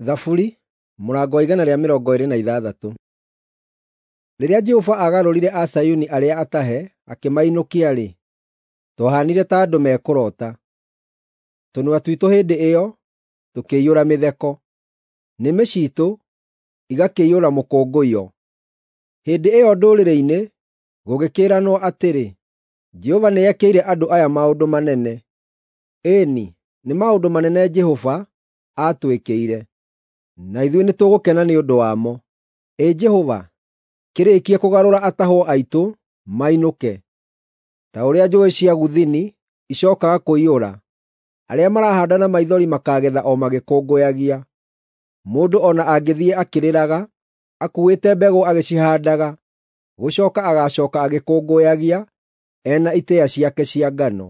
Thaburi 126. Rĩrĩa Jehova aagarũrire Azayuni arĩa atahe akĩmainũkia-rĩ, twahaanire ta andũ mekũroota. Tũnua twitũ hĩndĩ ĩyo tũkĩiyũra mĩtheko, nĩmĩ ciitũ igakĩiyũra mũkũngũiyo. Hĩndĩ ĩyo ndũrĩrĩ-inĩ gũgĩkĩĩranwo atĩrĩ, “Jehova nĩekĩire andũ aya maũndũ manene.” Ĩĩ-ni, nĩ maũndũ manene Jehova aatwĩkĩire, na ithuĩ nĩtũgũkena nĩ ũndũ wamo. Ĩ Jehova, kĩrĩĩkie kũgarũra atahwo aitũ mainũke, ta ũrĩa njũũĩ cia Gũthini icookaga kũiyũra. Arĩa marahaanda na maithori makaagetha o magĩkũngũyagia. Mũndũ o na angĩthiĩ akĩrĩraga, akuuĩte mbegũ agĩcihaandaga, gũcooka agaacooka agĩkũngũyagia, e na itĩĩa ciake cia ngano.